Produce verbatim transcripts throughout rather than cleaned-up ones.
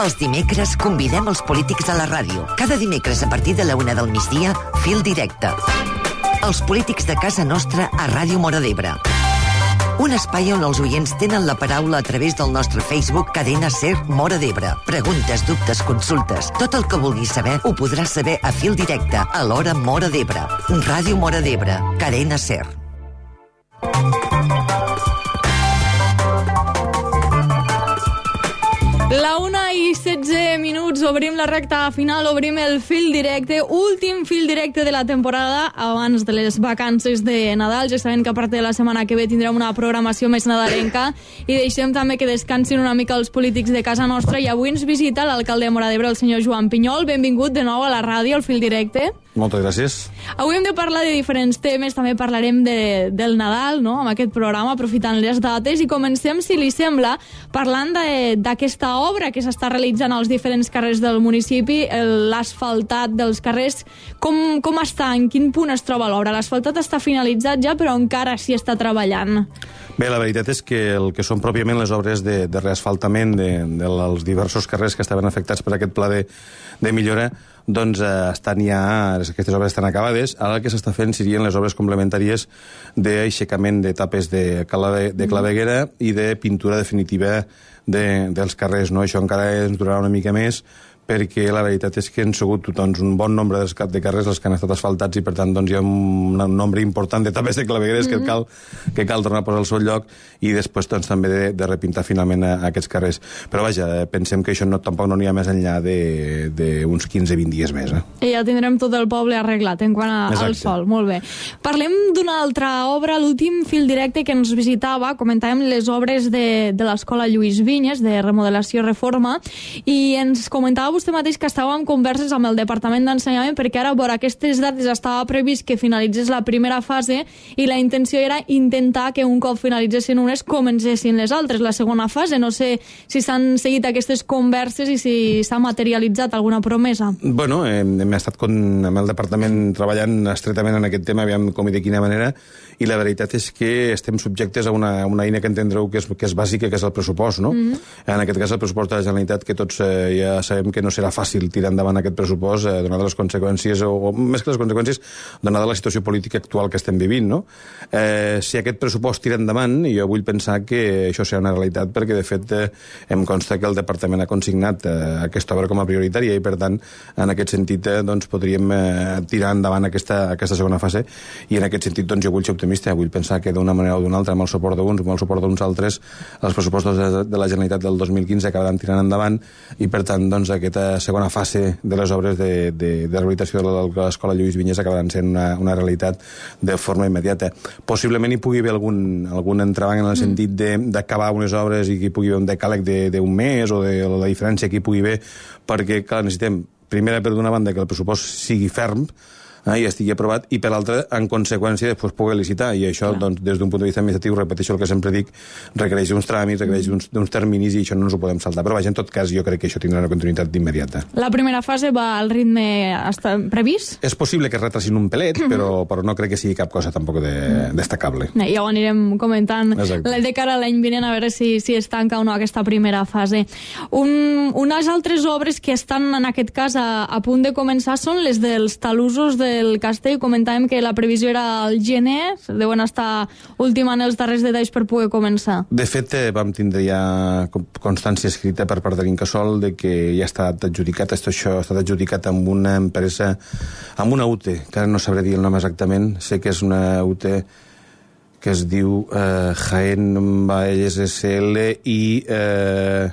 Els dimecres convidem els polítics a la ràdio. Cada dimecres a partir de la una del migdia, Fil Directe. Els polítics de casa nostra a Ràdio Móra d'Ebre. Un espai on els oients tenen la paraula a través del nostre Facebook Cadena Ser Móra d'Ebre. Preguntes, dubtes, consultes. Tot el que vulguis saber ho podràs saber a Fil Directe, a l'hora Móra d'Ebre. Ràdio Móra d'Ebre, Cadena Ser. La una i setze minuts, obrim la recta final, obrim el fil directe, últim fil directe de la temporada abans de les vacances de Nadal. Ja sabem que a part de la setmana que ve tindrem una programació més nadalenca i deixem també que descansin una mica els polítics de casa nostra, i avui ens visita l'alcalde de Móra d'Ebre, el senyor Joan Pinyol. Benvingut de nou a la ràdio, al fil directe. Moltes gràcies. Avui hem de parlar de diferents temes, també parlarem de, del Nadal, no?, amb aquest programa, aprofitant les dates, i comencem, si li sembla, parlant d'aquesta obra que s'està realitzant als diferents carrers del municipi, l'asfaltat dels carrers. Com, com està? En quin punt es troba l'obra? L'asfaltat està finalitzat ja, però encara s'hi està treballant. Bé, la veritat és que el que són pròpiament les obres de, de reasfaltament de, dels diversos carrers que estaven afectats per aquest pla de, de millora, doncs eh, estan ja, aquestes obres estan acabades. Ara el que s'està fent serien les obres complementàries d'aixecament d'etapes de, de, de claveguera i de pintura definitiva de, dels carrers, no? Això encara ens durarà una mica més, perquè la veritat és que han sigut doncs, un bon nombre de carrers els que han estat asfaltats, i per tant doncs, hi ha un nombre important d'etapes de clavegueres mm-hmm. que, cal, que cal tornar a posar al seu lloc, i després doncs, també de, de repintar finalment a, a aquests carrers. Però vaja, pensem que això no, tampoc no n'hi ha més enllà d'uns quinze a vint dies més. Eh? I ja tindrem tot el poble arreglat en quant a, al sol. Molt bé. Parlem d'una altra obra, l'últim fil directe que ens visitava, comentàvem les obres de, de l'Escola Lluís Vinyes, de remodelació i reforma, i ens comentava vostè mateix que estava en converses amb el Departament d'Ensenyament, perquè ara, vora aquestes dates, estava previst que finalitzés la primera fase i la intenció era intentar que un cop finalitzessin unes comencessin les altres, la segona fase. No sé si s'han seguit aquestes converses i si s'ha materialitzat alguna promesa. Bueno, hem, hem estat con, amb el Departament treballant estretament en aquest tema, aviam com i de quina manera, i la veritat és que estem subjectes a una, una eina que entendreu que és, que és bàsica, que és el pressupost, no? Mm-hmm. En aquest cas el pressupost de la Generalitat, que tots eh, ja sabem que no serà fàcil tirar endavant aquest pressupost, eh, donada les conseqüències, o, o més que les conseqüències, donada la situació política actual que estem vivint, no? Eh, si aquest pressupost tira endavant, jo vull pensar que això serà una realitat, perquè de fet eh, em consta que el Departament ha consignat eh, aquesta obra com a prioritària, i per tant, en aquest sentit, eh, doncs, podríem eh, tirar endavant aquesta, aquesta segona fase, i en aquest sentit, doncs, jo vull ser optimista, vull pensar que d'una manera o d'una altra, amb el suport d'uns o amb el suport d'uns altres, els pressupostos de, de la Generalitat del dos mil quinze acabaran tirant endavant, i per tant, doncs, aquesta segona fase de les obres de, de, de rehabilitació de l'Escola Lluís Vinyes acabaran sent una, una realitat de forma immediata. Possiblement hi pugui haver algun, algun entrebanc en el mm. sentit d'acabar unes obres i que hi pugui haver un decàleg d'un mes, o de la diferència que hi pugui haver, perquè, clar, necessitem, primera, per d'una banda, que el pressupost sigui ferm, eh, i estigui aprovat, i per l'altra, en conseqüència, després poder licitar, i això, doncs, des d'un punt de vista administratiu, repeteixo el que sempre dic, requereix uns tràmits, requereix uns, uns terminis, i això no ens ho podem saltar. Però vaja, en tot cas, jo crec que això tindrà una continuïtat d'immediata. La primera fase va al ritme hasta previst? És possible que es retrasin un pelet, però, però no crec que sigui cap cosa tampoc de, destacable. Ja ho anirem comentant de cara a l'any vinent, a veure si, si es tanca o no aquesta primera fase. Un, unes altres obres que estan, en aquest cas, a, a punt de començar són les dels talussos de el castell. Comentàvem que la previsió era al gener, deuen estar ultimant els darrers detalls per poder començar. De fet, eh, vam tindre ja constància escrita per part de l'Incasòl de que ja ha estat adjudicat, això ha estat adjudicat amb una empresa, amb una U T E, que ara no sabré dir el nom exactament, sé que és una U T E que es diu eh, Jaén Valles S L i... Eh,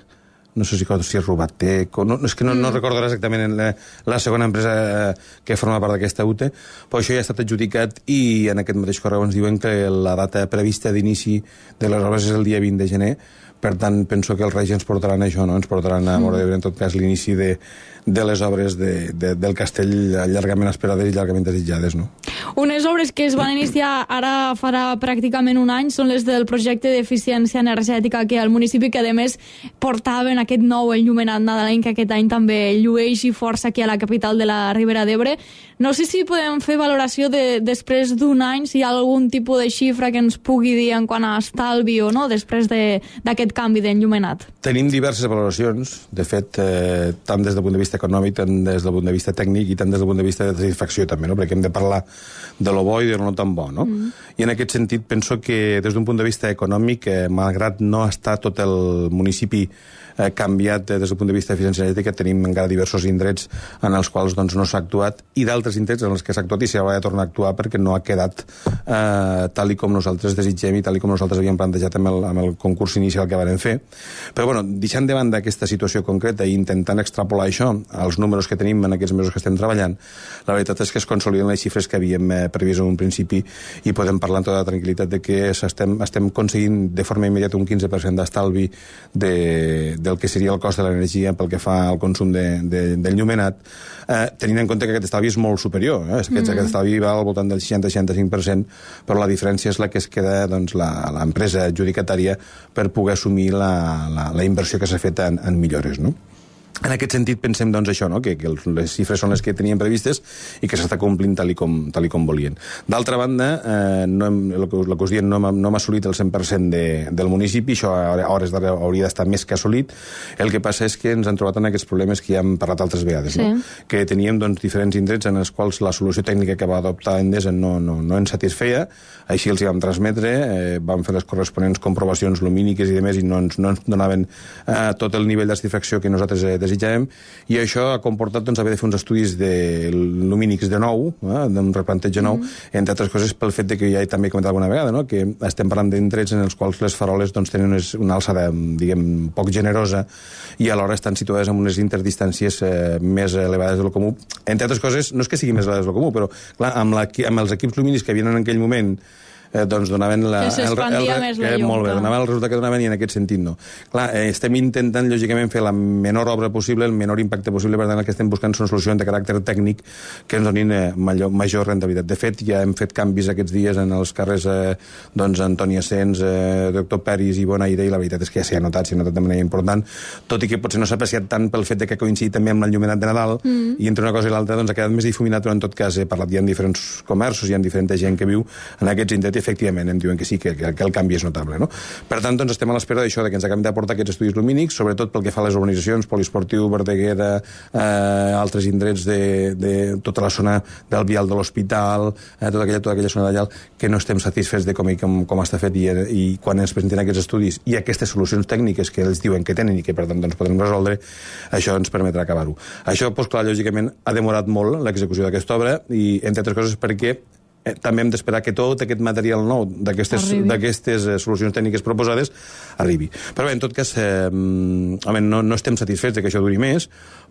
no sé si, si és Rubateco, no, és que no, no recordo exactament la, la segona empresa que forma part d'aquesta U T E, però això ja ha estat adjudicat, i en aquest mateix correu ens diuen que la data prevista d'inici de les obres és el dia vint de gener. Per tant, penso que els Reis ens portaran això, no? Ens portaran a Móra d'Ebre, en tot cas, l'inici de, de les obres de, de, del castell llargament esperades i llargament desitjades, no? Unes obres que es van iniciar ara farà pràcticament un any són les del projecte d'eficiència energètica que al municipi, que a més portaven aquest nou enllumenat nadalenc que aquest any també llueix i força aquí a la capital de la Ribera d'Ebre. No sé si podem fer valoració de, després d'un any, si hi ha algun tipus de xifra que ens pugui dir en quant a estalvi o no, després d'aquest aquest canvi d'enllumenat? Tenim diverses valoracions, de fet, eh, tant des del punt de vista econòmic, tant des del punt de vista tècnic i tant des del punt de vista de satisfacció també, no? Perquè hem de parlar de lo bo i de lo no tan bo, no? Mm. I en aquest sentit penso que des d'un punt de vista econòmic, eh, malgrat no està tot el municipi eh, canviat eh, des del punt de vista d'eficiència energètica, tenim encara diversos indrets en els quals doncs, no s'ha actuat i d'altres indrets en els que s'ha actuat i s'haurà de tornar a actuar perquè no ha quedat eh, tal i com nosaltres desitgem i tal i com nosaltres havíem plantejat amb el, amb el concurs inicial que vam fer. Però, bueno, deixant de banda aquesta situació concreta i intentant extrapolar això als números que tenim en aquests mesos que estem treballant, la veritat és que es consoliden les xifres que havíem eh, previst en un principi i podem parlar amb tota la tranquil·litat de que estem, estem aconseguint de forma immediata un quinze per cent d'estalvi de, del que seria el cost de l'energia pel que fa al consum de, de, del llumenat, eh, tenint en compte que aquest estalvi és molt superior. Eh? Aquest, mm. aquest estalvi va al voltant del seixanta a seixanta-cinc per cent, però la diferència és la que es queda doncs, l'empresa adjudicatària per poder assumir la, la, la inversió que s'ha fet en, en millores, no? En aquest sentit pensem doncs, això, no? que, que les xifres són les que teníem previstes i que s'està complint tal i com, tal i com volien. D'altra banda, eh, no hem, el, que, el que us diem, no hem, no hem assolit el cent per cent de, del municipi, això a hores d'ara hauria d'estar més que assolit. El que passa és que ens han trobat en aquests problemes que ja hem parlat altres vegades, sí. no? Que teníem doncs, diferents indrets en els quals la solució tècnica que va adoptar Endesa no, no, no ens satisfeia, així els hi vam transmetre, eh, vam fer les corresponents comprovacions lumíniques i demés i no ens, no ens donaven eh, tot el nivell de satisfacció que nosaltres eh, desitjàvem, i això ha comportat doncs, haver de fer uns estudis de lumínics de nou, eh, d'un replanteig de nou, mm. entre altres coses pel fet de que ja he també comentat alguna vegada, no? que estem parlant d'indrets en els quals les faroles doncs, tenen unes, una alçada, diguem, poc generosa i alhora estan situades en unes interdistàncies eh, més elevades del comú. Entre altres coses, no és que siguin més elevades del comú, però clar, amb, la, amb els equips lumínics que havien en aquell moment Eh, doncs donaven la, que s'expandia el, el, més la llum. Molt bé, donaven el resultat que donaven i en aquest sentit no. Clar, eh, estem intentant, lògicament, fer la menor obra possible, el menor impacte possible, per tant, el que estem buscant són solucions de caràcter tècnic que ens donin eh, major, major rentabilitat. De fet, ja hem fet canvis aquests dies en els carrers eh, doncs, Antoni Asens, eh, doctor Peris i Bonaire, i la veritat és que ja s'ha notat, s'ha notat de manera important, tot i que potser no s'ha apreciat tant pel fet de que coincidit també amb l'enllumenat de Nadal, mm. i entre una cosa i l'altra doncs, ha quedat més difuminat, però en tot cas he parlat, hi ha diferents comerços, hi ha diferent gent que viu en aquests indrets, efectivament, em diuen que sí, que, que, que el canvi és notable, no? Per tant, doncs, estem a l'espera d'això, que ens acabem d'aportar aquests estudis lumínics, sobretot pel que fa a les urbanitzacions, Poliesportiu, Verdaguera, eh, altres indrets de, de tota la zona del vial de l'Hospital, eh, tota, aquella, tota aquella zona d'allà, que no estem satisfets de com, com, com està fet, i, i quan ens presenten aquests estudis i aquestes solucions tècniques que ells diuen que tenen i que, per tant, doncs, podrem resoldre, això ens permetrà acabar-ho. Això, doncs, clar, lògicament, ha demorat molt l'execució d'aquesta obra, i, entre altres coses, perquè Eh, també hem d'esperar que tot aquest material nou d'aquestes eh, solucions tècniques proposades arribi. Però bé, en tot cas, eh, home, no, no estem satisfets de que això duri més,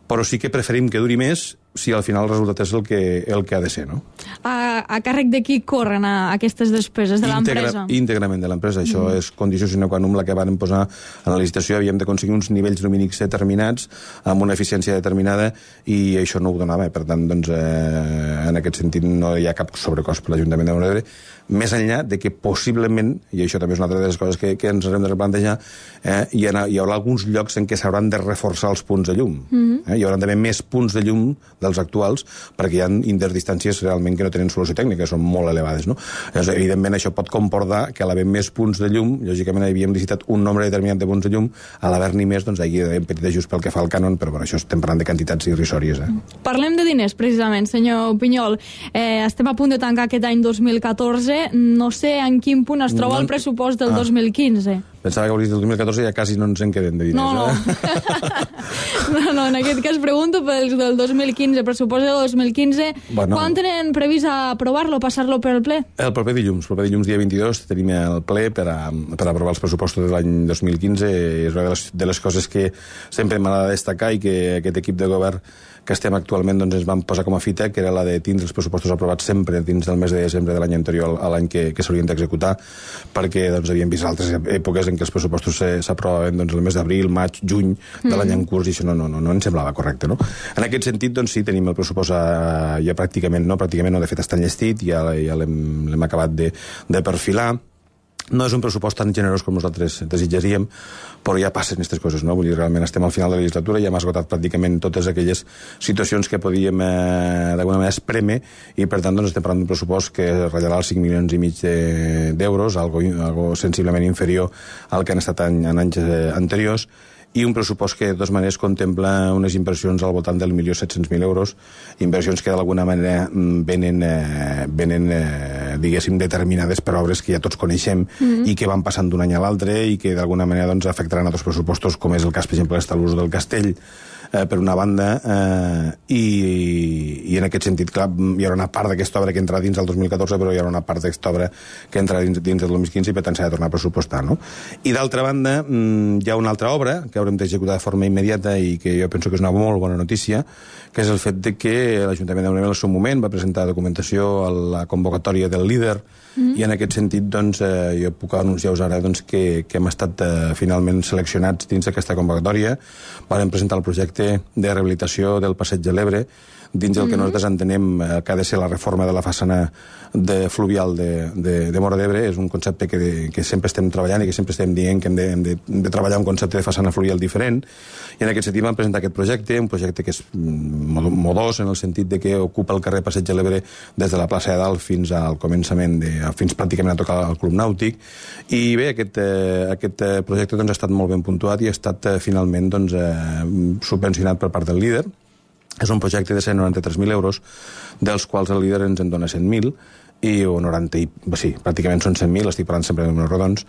però sí que preferim que duri més si al final el resultat és el que, el que ha de ser, no? A, a càrrec de qui corren a aquestes despeses? De l'empresa? Integra, íntegrament de l'empresa. Això mm. és condició sine qua non la que van posar en la licitació. Havíem d'aconseguir uns nivells lumínics determinats, amb una eficiència determinada, i això no ho donava. Per tant, doncs, eh, en aquest sentit no hi ha cap sobrecost per l'Ajuntament de Bonaire, més enllà de que possiblement, i això també és una altra de les coses que, que ens haurem de replantejar, eh, hi, ha, hi haurà alguns llocs en què s'hauran de reforçar els punts de llum. Mm-hmm. eh, hi haurà d'haver més punts de llum dels actuals, perquè hi ha interdistàncies realment que no tenen solució tècnica, són molt elevades, no? Llavors, evidentment, això pot comportar que a l'haver més punts de llum, lògicament havíem licitat un nombre determinat de punts de llum, a l'haver-n'hi més, doncs hi ha un petit ajust pel que fa al cànon, però per això estem parlant de quantitats irrisòries. Eh? Parlem de diners, precisament, senyor Pinyol. Eh, estem a punt de tancar aquest any dos mil catorze, no sé en quin punt es troba no, el pressupost del ah, dos mil quinze. Pensava que hauries del dos mil catorze ja quasi no ens en queden de diners. No, no. Eh? no, no, en aquest cas pregunto pels del dos mil quinze, pressupost del dos mil quinze. Bueno, quan tenen previst aprovar-lo, passar-lo per el ple? El proper dilluns, el proper dilluns dia vint-i-dos tenim el ple per a, per a aprovar els pressupostos de l'any dos mil quinze. És una de les, de les coses que sempre m'ha de destacar i que aquest equip de govern que estem actualment doncs, ens vam posar com a fita, que era la de tindre els pressupostos aprovats sempre dins del mes de desembre de l'any anterior a l'any que, que s'haurien d'executar, perquè doncs, havíem vist altres èpoques en què els pressupostos s'aprovaven doncs, el mes d'abril, maig, juny de l'any en curs, i això no, no, no, no ens semblava correcte, no? En aquest sentit, doncs sí, tenim el pressupost a, ja pràcticament, no, pràcticament no, de fet està enllestit, ja, ja l'hem acabat de, de perfilar. No és un pressupost tan generós com nosaltres desitjaríem, però ja passen aquestes coses, no? Vull dir, realment estem al final de la legislatura, ja hem esgotat pràcticament totes aquelles situacions que podíem eh, d'alguna manera esprémer, i per tant doncs, estem parlant d'un pressupost que ratllarà els cinc milions i mig d'euros, de, algo, algo sensiblement inferior al que han estat en, en anys eh, anteriors, i un pressupost que de totes maneres contempla unes inversions al voltant del milió set-cents mil euros, inversions que d'alguna manera venen, eh, venen eh, diguéssim, determinades per obres que ja tots coneixem mm-hmm. i que van passant d'un any a l'altre i que d'alguna manera doncs, afectaran a altres pressupostos, com és el cas, per exemple, de l'ús del castell, eh, per una banda, eh, i, i en aquest sentit, clar, hi haurà una part d'aquesta obra que entrarà dins del dos mil catorze, però hi haurà una part d'aquesta obra que entrarà dins, dins del dos mil quinze i per tant s'ha de tornar a pressupostar, no? I d'altra banda, hi ha una altra obra que haurem d'executar de forma immediata i que jo penso que és una molt bona notícia, que és el fet de que l'Ajuntament de Móra al seu moment va presentar documentació a la convocatòria del líder, mm. i en aquest sentit doncs, eh, jo puc anunciar-vos ara doncs, que, que hem estat eh, finalment seleccionats dins d'aquesta convocatòria. Vam presentar el projecte de rehabilitació del Passeig de l'Ebre, dins del que mm-hmm. nosaltres entenem eh, que ha de ser la reforma de la façana de fluvial de, de, de Móra d'Ebre. És un concepte que, de, que sempre estem treballant i que sempre estem dient que hem de, hem de, hem de treballar un concepte de façana fluvial diferent, i en aquest sentit vam presentar aquest projecte, un projecte que és modós en el sentit de que ocupa el carrer Passeig de l'Ebre des de la plaça de Dalt fins al començament, de, fins pràcticament a tocar el Club Nàutic, i bé, aquest, eh, aquest projecte doncs, ha estat molt ben puntuat i ha estat eh, finalment doncs, eh, subvencionat per part del líder. És un projecte de cent noranta-tres mil euros, dels quals el líder ens en dona cent mil, i o noranta, sí, pràcticament són cent mil, estic parlant sempre de números rodons,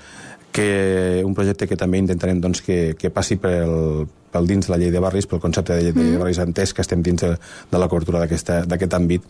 que un projecte que també intentarem doncs, que, que passi pel, pel dins de la llei de barris, pel concepte de llei de mm. barris entès, que estem dins de, de la cobertura d'aquest àmbit,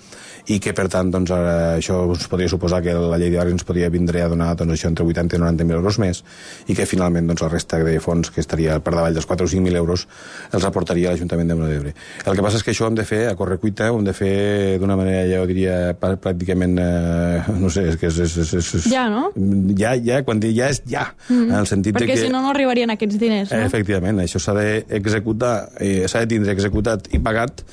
i que per tant doncs, ara, això us podria suposar que la llei de barris ens podria vindre a donar doncs, això entre vuitanta i noranta mil euros més, i que finalment doncs, la resta de fons, que estaria per davall dels quatre o cinc mil euros, els aportaria l'Ajuntament de Móra d'Ebre. El que passa és que això ho hem de fer a correcuita, ho hem de fer d'una manera, ja ho diria, pràcticament, eh, no sé, és que és... és, és, és ja, no? Ja, ja, quan dic ja és ja, mm. en el sentit perquè de que... si no, no arribarien aquests diners, no? Efectivament, això s'ha d'executar, eh, s'ha de tindre executat i pagat,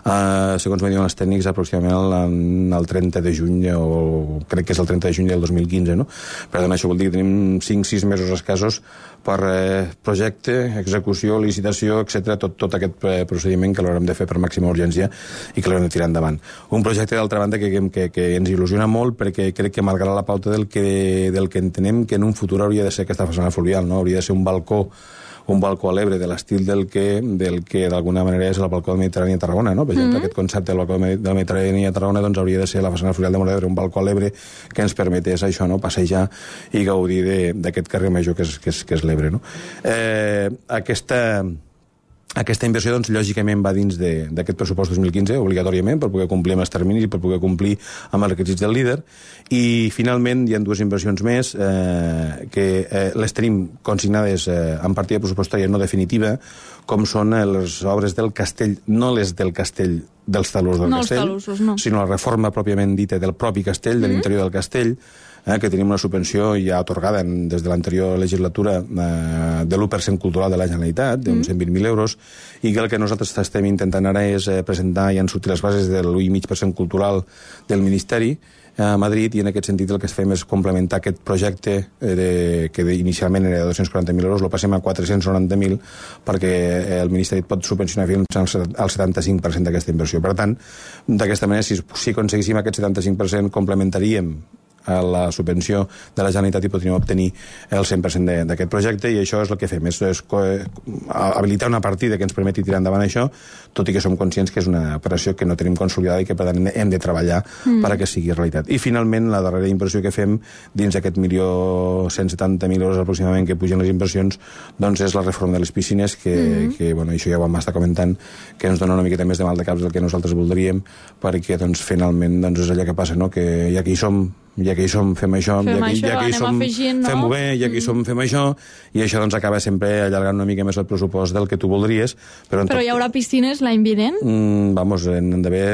eh, segons me diuen els tècnics, aproximadament el, el trenta de juny, o crec que és el trenta de juny del dos mil quinze, no? Per tant, això vol dir que tenim cinc sis mesos escassos per eh, projecte, execució, licitació, etcètera, tot, tot aquest eh, procediment que l'haurem de fer per màxima urgència i que l'haurem de tirar endavant. Un projecte, d'altra banda, que, que, que ens il·lusiona molt, perquè crec que marcarà la pauta del que, del que entenem que en un futur hauria de ser aquesta façana fluvial, no? Hauria de ser un balcó un balcó a l'Ebre de l'estil del que del que d'alguna manera és el balcó del Mediterrani a Tarragona, no? Per exemple, mm-hmm. aquest concepte del balcó del Mediterrani a Tarragona doncs hauria de ser la façana fluvial de Móra d'Ebre, un balcó a l'Ebre que ens permetés això, no? Passejar i gaudir d'aquest carrer major que és, que és, que és l'Ebre, no? Eh, aquesta... Aquesta inversió, doncs, lògicament va dins d'aquest pressupost dos mil quinze, obligatòriament, per poder complir amb els terminis i per poder complir amb els requisits del líder. I, finalment, hi ha dues inversions més eh, que eh, les tenim consignades eh, en partida pressupostària no definitiva, com són eh, les obres del castell, no les del castell dels talús del no castell, talussos, no. sinó la reforma pròpiament dita del propi castell, mm-hmm. de l'interior del castell, eh, que tenim una subvenció ja atorgada en, des de l'anterior legislatura eh, de l'u per cent cultural de la Generalitat, d'uns mm-hmm. cent vint mil euros, i que el que nosaltres estem intentant ara és eh, presentar i han sortit les bases de l'u coma cinc per cent cultural del Ministeri a Madrid, i en aquest sentit el que fem és complementar aquest projecte eh, de, que inicialment era de dos-cents quaranta mil euros, lo passem a quatre-cents noranta mil perquè el Ministeri pot subvencionar fins al setanta-cinc per cent d'aquesta inversió. Per tant, d'aquesta manera, si, si aconseguíssim aquest setanta-cinc per cent, complementaríem a la subvenció de la Generalitat i podríem obtenir el cent per cent d'aquest projecte, i això és el que fem, és, és habilitar una partida que ens permeti tirar endavant això, tot i que som conscients que és una operació que no tenim consolidada i que per tant hem de treballar mm. perquè sigui realitat. I finalment la darrera inversió que fem dins d'aquest milió cent setanta mil euros aproximadament que pugen les inversions, doncs és la reforma de les piscines que, mm. que bueno, això ja ho vam estar comentant, que ens dona una miqueta més de mal de caps del que nosaltres voldríem, perquè doncs finalment doncs, és allò que passa, no? Que ja que hi som, ja que hi som, fem això, fem ja que, això, ja que hi som, afegint, no? fem-ho bé, ja que hi som, fem això, i això doncs acaba sempre allargant una mica més el pressupost del que tu voldries. Però, però tot... hi haurà piscines l'any vinent? Mm, vamos, en d'haver...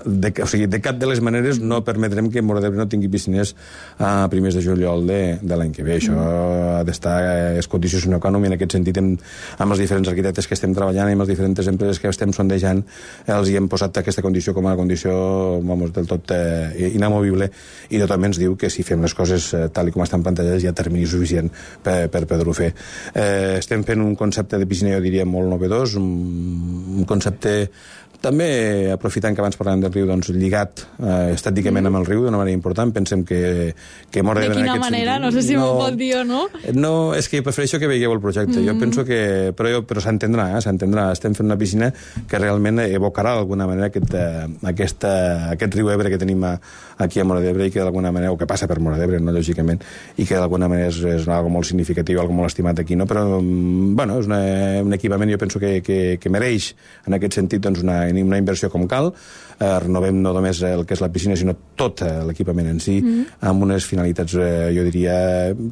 De, o sigui, de cap de les maneres no permetrem que Móra d'Ebre no tingui piscines a primers de juliol de, de l'any que ve. Això mm. ha d'estar, és condició sine qua non, i en aquest sentit hem, amb els diferents arquitectes que estem treballant i amb les diferents empreses que estem sondejant, els hi hem posat aquesta condició com a condició, vamos, del tot eh, inamovible, i tothom ens diu que si fem les coses eh, tal i com estan plantejades hi ha termini suficient per, per poder-ho fer. Eh, estem fent un concepte de piscina, jo diria, molt novedós, un, un concepte també, aprofitant que abans parlàvem del riu, doncs, lligat eh, estèticament mm. amb el riu d'una manera important. Pensem que, que Móra d'Ebre... De quina manera? Sentit, no sé si no, m'ho pot dir o no. No, és que prefereixo que veieu el projecte. Mm. Jo penso que... Però, però s'entendrà, eh, s'entendrà. Estem fent una piscina que realment evocarà d'alguna manera aquest, eh, aquesta, aquest riu Ebre que tenim a, aquí a Móra d'Ebre i que d'alguna manera, o que passa per Móra d'Ebre, no, lògicament, i que d'alguna manera és, és algo molt significatiu, algo molt estimat aquí, no? Però, bueno, és una, un equipament, jo penso que, que, que mereix, en aquest sentit, doncs, una, una inversió com cal. Eh, renovem no només el que és la piscina, sinó tot l'equipament en si, mm. amb unes finalitats, eh, jo diria,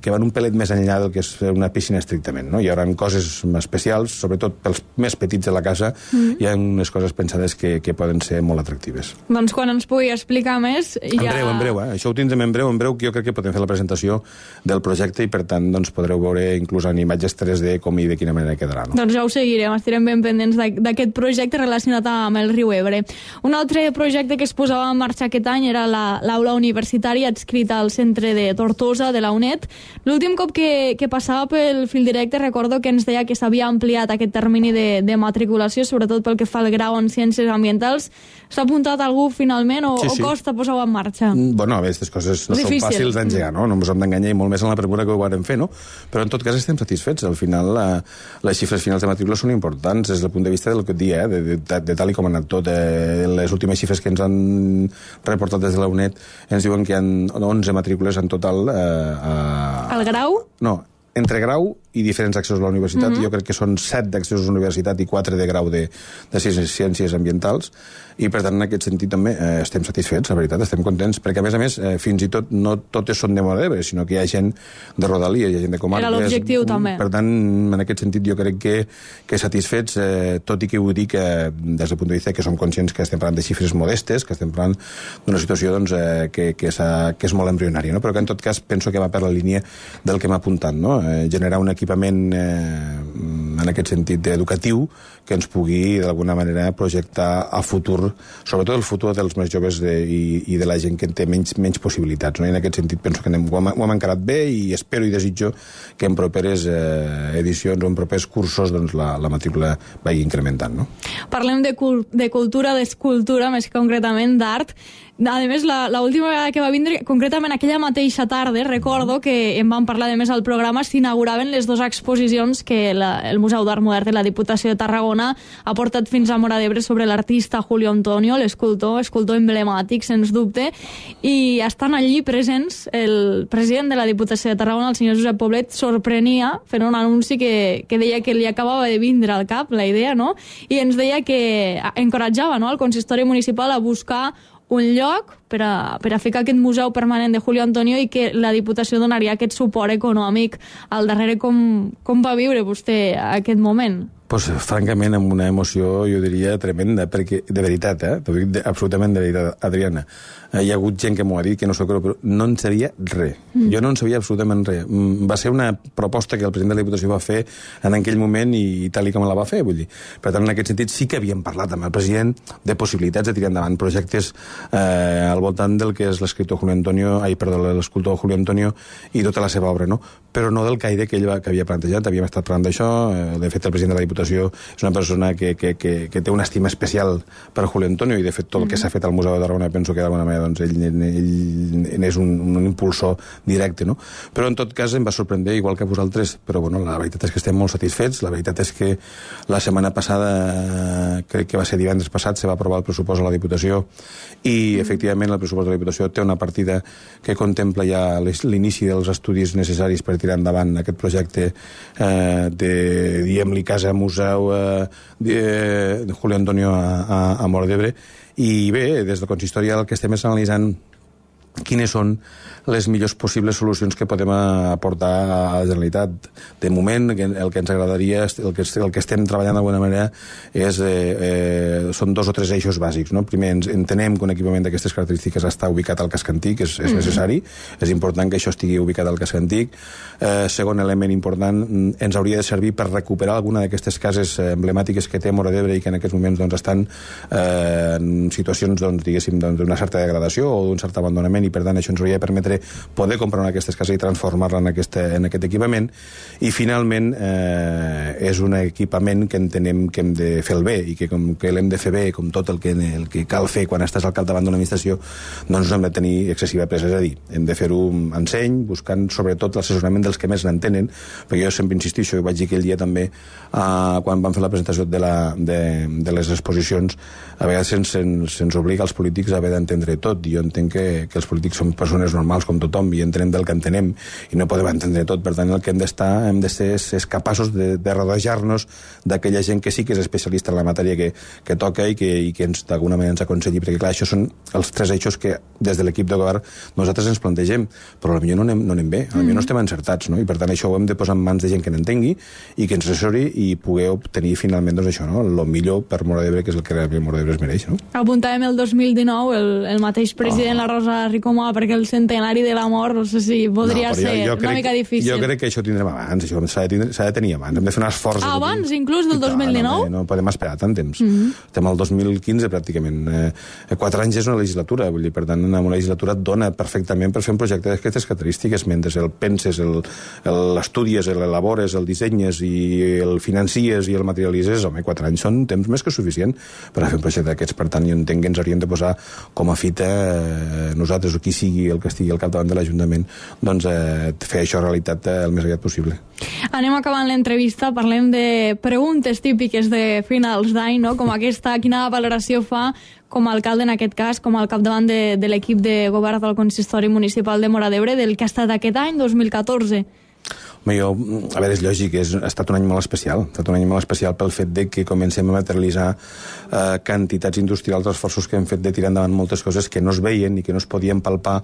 que van un pelet més enllà del que és una piscina estrictament, no? Hi haurà coses especials, sobretot pels més petits de la casa, mm. hi ha unes coses pensades que, que poden ser molt atractives. Doncs quan ens pugui explicar més... Ja... En breu, en breu, eh? Això ho tindrem en breu, en breu, que jo crec que podem fer la presentació del projecte i, per tant, doncs, podreu veure inclús en imatges tres D com i de quina manera quedarà, no? Doncs ja ho seguirem, estarem ben pendents d'aquest projecte relacionat amb el riu Ebre. Un altre projecte que es posava en marxa aquest any era l'aula universitària adscrita al centre de Tortosa, de la UNED. L'últim cop que, que passava pel fil directe recordo que ens deia que s'havia ampliat aquest termini de, de matriculació, sobretot pel que fa al grau en ciències ambientals. S'ha apuntat algú finalment o, sí, sí. o costa posar-ho en marxa? Bueno, a veure, aquestes coses no Difícil. són fàcils d'engegar, no? No ens hem d'enganyar i molt més en la premura que ho vàrem fer, no? Però en tot cas estem satisfets. Al final, la, les xifres finals de matrícula són importants des del punt de vista del que et dia, eh? de, de, de, de tal i com ha anat tot. Eh? Les últimes xifres que ens han reportat des de la UNED ens diuen que hi ha onze matrícules en total. Eh, a... El grau? No, entre grau i diferents accessos a la universitat. Mm-hmm. Jo crec que són set d'accessos a la universitat i quatre de grau de, de ciències ambientals, i per tant en aquest sentit també eh, estem satisfets, la veritat, estem contents, perquè a més a més eh, fins i tot no totes són de Móra d'Ebre, sinó que hi ha gent de Rodalies, hi ha gent de comarques. Era l'objectiu també. Per tant, en aquest sentit jo crec que, que satisfets, eh, tot i que ho dic eh, des del punt de vista que som conscients que estem parlant de xifres modestes, que estem parlant d'una situació doncs, eh, que, que, que és molt embrionària, no? Però que en tot cas penso que va per la línia del que m'ha apuntat, no? Eh, generar un equipament eh, en aquest sentit educatiu que ens pugui d'alguna manera projectar a futur, sobretot el futur dels més joves de, i, i de la gent que té menys, menys possibilitats, no? I en aquest sentit penso que anem, ho, hem, ho hem encarat bé i espero i desitjo que en properes eh, edicions o en propers cursos doncs, la, la matrícula vagi incrementant, no? Parlem de, cul de cultura, d'escultura, més concretament d'art. A més, l'última vegada que va vindre, concretament aquella mateixa tarda, recordo que en vam parlar, a més, al programa, s'inauguraven les dues exposicions que la, el Museu d'Art Modern de la Diputació de Tarragona ha portat fins a Móra d'Ebre sobre l'artista Julio Antonio, l'escultor, escultor emblemàtic, sens dubte, i estan allí presents el president de la Diputació de Tarragona, el senyor Josep Poblet, sorprenia fent un anunci que, que deia que li acabava de vindre al cap la idea, no? I ens deia que encoratjava, no?, el consistori municipal a buscar un lloc per a, per a fer aquest museu permanent de Julio Antonio i que la Diputació donaria aquest suport econòmic al darrere. Com, com va viure vostè aquest moment? Pues, francament, amb una emoció, jo diria, tremenda, perquè, de veritat, eh? T'ho dic de, absolutament de veritat, Adriana. Eh, hi ha hagut gent que m'ho ha dit, que no s'ho creu, però no en sabia res. Mm. Jo no en sabia absolutament res. Mm, va ser una proposta que el president de la Diputació va fer en aquell moment i, i tal i com la va fer, vull dir. Per tant, en aquest sentit, sí que havíem parlat amb el president de possibilitats de tirar endavant projectes eh, al voltant del que és l'escriptor Julio Antonio, ai, perdó, l'escultor Julio Antonio i tota la seva obra, no? Però no del caire que ell va, que havia plantejat. Havíem estat parlant d'això. Eh, de fet, el president de la Diputació és una persona que, que, que, que té una estima especial per Julio Antonio i de fet tot el que s'ha fet al Museu de Tarragona penso que d'alguna manera doncs, ell, ell és un, un impulsor directe, no? Però en tot cas em va sorprendre igual que a vosaltres, però bueno, la veritat és que estem molt satisfets. La veritat és que la setmana passada, crec que va ser divendres passat, se va aprovar el pressupost a la Diputació i efectivament el pressupost de la Diputació té una partida que contempla ja l'inici dels estudis necessaris per tirar endavant aquest projecte eh, de, diguem-li, casa museu eh, de, de Julio Antonio a, a, a Móra d'Ebre. I bé, des del consistori el que estem és analitzant quines són les millors possibles solucions que podem aportar a la Generalitat. De moment, el que ens agradaria, el que, el que estem treballant d'alguna manera, és, eh, eh, són dos o tres eixos bàsics. No? Primer, ens entenem que un equipament d'aquestes característiques està ubicat al casc antic, és, és necessari, és important que això estigui ubicat al casc antic. Eh, segon element important, ens hauria de servir per recuperar alguna d'aquestes cases emblemàtiques que té Móra d'Ebre i que en aquests moments doncs, estan eh, en situacions, doncs, diguéssim, d'una certa degradació o d'un cert abandonament equipament, i per tant això ens hauria de permetre poder comprar una d'aquestes cases i transformar-la en, aquesta, en aquest equipament. I finalment eh, és un equipament que entenem que hem de fer el bé i que com que l'hem de fer bé, com tot el que, el que cal fer quan estàs al capdavant d'una administració, doncs no hem de tenir excessiva pressa, és a dir, hem de fer-ho amb enseny, buscant sobretot l'assessorament dels que més n'entenen, perquè jo sempre insistixo, i vaig dir aquell dia també, eh, quan vam fer la presentació de, la, de, de les exposicions, a vegades se'ns, se'ns obliga als polítics a haver d'entendre tot, i jo entenc que, que els polítics som persones normals com tothom, i entenem del que entenem, i no podem entendre tot, per tant el que hem d'estar, hem de ser és capaços de, de rodejar-nos d'aquella gent que sí que és especialista en la matèria que, que toca i que, i que ens, d'alguna manera ens aconselli, perquè clar, això són els tres eixos que des de l'equip de govern nosaltres ens plantegem, però potser no anem, no anem bé, potser mm. no estem encertats, no? I per tant això ho hem de posar en mans de gent que n'entengui i que ens assessori i poder obtenir finalment doncs això, no? El millor per Móra d'Ebre, que és el que realment Móra d'Ebre es mereix, no? Apuntàvem el dos mil dinou, el, el mateix president, oh. la Rosa Ricomà, perquè el centenari de la mort, no sé si podria no, ser jo, jo una crec, mica difícil. Jo crec que això ho tindrem abans, això s'ha de, de tenir abans, hem de fer un esforç. Ah, abans, inclús del dos mil dinou? No, no, no podem esperar tant temps. Mm -hmm. Estem al dos mil quinze, pràcticament. Eh, quatre anys és una legislatura, vull dir, per tant, una legislatura et dona perfectament per fer un projecte d'aquestes característiques, mentre el penses, l'estudies, l'elabores, el dissenyes i el financies i el materialitzes, home, quatre anys són temps més que suficient per a fer un projecte d'aquests. Per tant, jo entenc que ens hauríem de posar com a fita eh, nosaltres, o qui sigui el que estigui al capdavant de l'Ajuntament, doncs eh, fer això realitat eh, el més aviat possible. Anem acabant l'entrevista, parlem de preguntes típiques de finals d'any, no? Com aquesta, quina valoració fa com a alcalde, en aquest cas, com al capdavant de, de l'equip de govern del Consistori Municipal de Móra d'Ebre, del que ha estat aquest any, dos mil catorze? Home, jo, a veure, és lògic, és, ha estat un any molt especial. Ha estat un any molt especial pel fet de que comencem a materialitzar eh, quantitats industrials, esforços que hem fet de tirar endavant moltes coses que no es veien i que no es podien palpar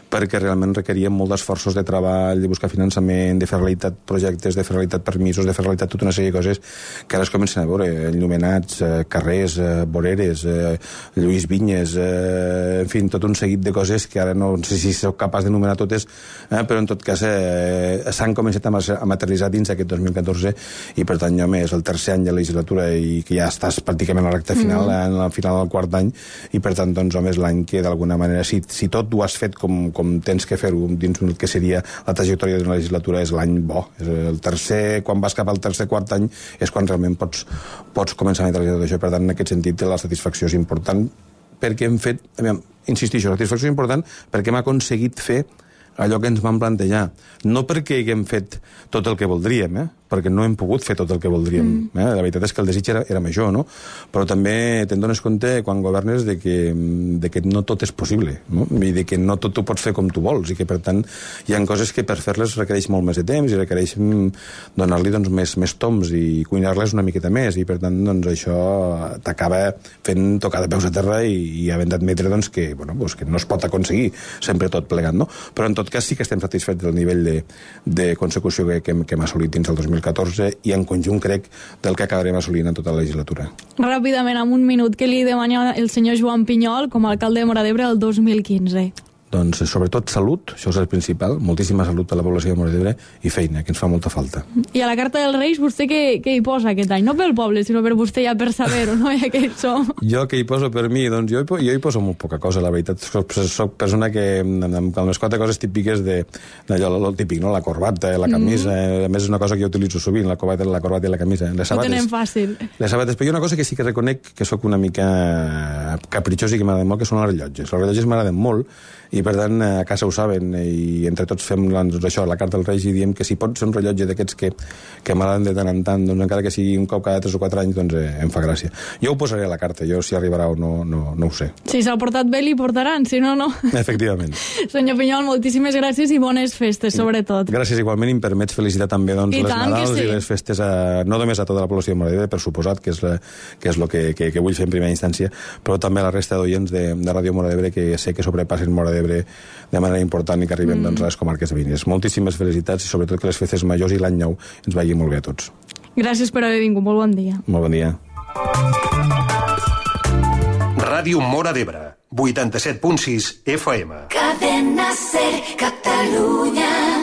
perquè realment requerien molt d'esforços de treball, de buscar finançament, de fer realitat projectes, de fer realitat permisos, de fer realitat tota una sèrie de coses que ara es comencen a veure, enllumenats, eh, carrers, eh, voreres, eh, Lluís Vinyes, eh, en fi, tot un seguit de coses que ara no sé si sóc capaç d'enumerar totes, eh, però en tot cas eh, s'han començat a materialitzar dins aquest dos mil catorze i per tant, home, és el tercer any de legislatura i que ja estàs pràcticament a la recta final, mm. en la final del quart any, i per tant, doncs, home, és l'any que d'alguna manera, si, si tot ho has fet com, com tens que fer-ho dins el que seria la trajectòria d'una legislatura, és l'any bo. És el tercer, quan vas cap al tercer quart any és quan realment pots, pots començar a materialitzar tot això. Per tant, en aquest sentit, la satisfacció és important perquè hem fet, aviam, insistixo, la satisfacció és important perquè hem aconseguit fer allò que ens vam plantejar. No perquè haguem fet tot el que voldríem, eh? perquè no hem pogut fer tot el que voldríem. Mm. Eh? La veritat és que el desig era, era major, no? Però també te'n dones compte, quan governes, de que, de que no tot és possible, no? I de que no tot ho pots fer com tu vols, i que, per tant, hi ha coses que per fer-les requereix molt més de temps i requereix donar-li doncs, més, més toms i cuinar-les una miqueta més, i per tant, doncs, això t'acaba fent tocar de peus a terra i, i havent d'admetre doncs, que, bueno, doncs, que no es pot aconseguir sempre tot plegat, no? Però, en tot cas, sí que estem satisfets del nivell de, de consecució que, que, que hem assolit dins el dos mil catorze i en conjunt crec del que acabarem assolint en tota la legislatura. Ràpidament, en un minut, què li demana el senyor Joan Pinyol com a alcalde de Móra d'Ebre el dos mil quinze? Doncs sobretot salut, això és el principal, moltíssima salut per a la població de Móra d'Ebre i feina, que ens fa molta falta. I a la Carta dels Reis, vostè què, què hi posa aquest any? No pel poble, sinó per vostè ja per saber-ho, no? Ja que hi som. Jo què hi poso per mi? Doncs jo, jo hi poso molt poca cosa, la veritat. Soc, soc persona que, amb les quatre coses típiques de, d'allò, el típic, no? La corbata, la camisa, mm. a més és una cosa que jo utilitzo sovint, la corbata, la corbata i la camisa. Les sabates, ho tenem fàcil. Les sabates, però hi ha una cosa que sí que reconec que sóc una mica capritxós i que m'agraden molt, que són els rellotges. Els rellotges m'agraden molt, i per tant a casa ho saben i entre tots fem doncs, això, la Carta dels Reis, i diem que si pot ser un rellotge d'aquests que, que m'agraden de tant en tant, doncs encara que sigui un cop cada tres o quatre anys, doncs eh, em fa gràcia. Jo ho posaré a la carta, jo si arribarà o no, no, no ho sé. Si s'ha portat bé li portaran, si no, no. Efectivament. Senyor Pinyol, moltíssimes gràcies i bones festes, sobretot. Gràcies igualment, i em permets felicitar també doncs, les Nadals sí. i les festes, a, no només a tota la població de Móra d'Ebre, per suposat, que és, la, que és el que, que, que vull fer en primera instància, però també a la resta d'oients de, de Ràdio Móra d'Ebre, que sé que sobrepassen Móra d'Ebre de manera important i que arribem mm. doncs, a les comarques veïnes. Moltíssimes felicitats i sobretot que les festes majors i l'any nou ens vagi molt bé a tots. Gràcies per haver vingut. Molt bon dia. Molt bon dia. Ràdio Móra d'Ebre, vuitanta-set punt sis F M. Cadena Ser, Catalunya.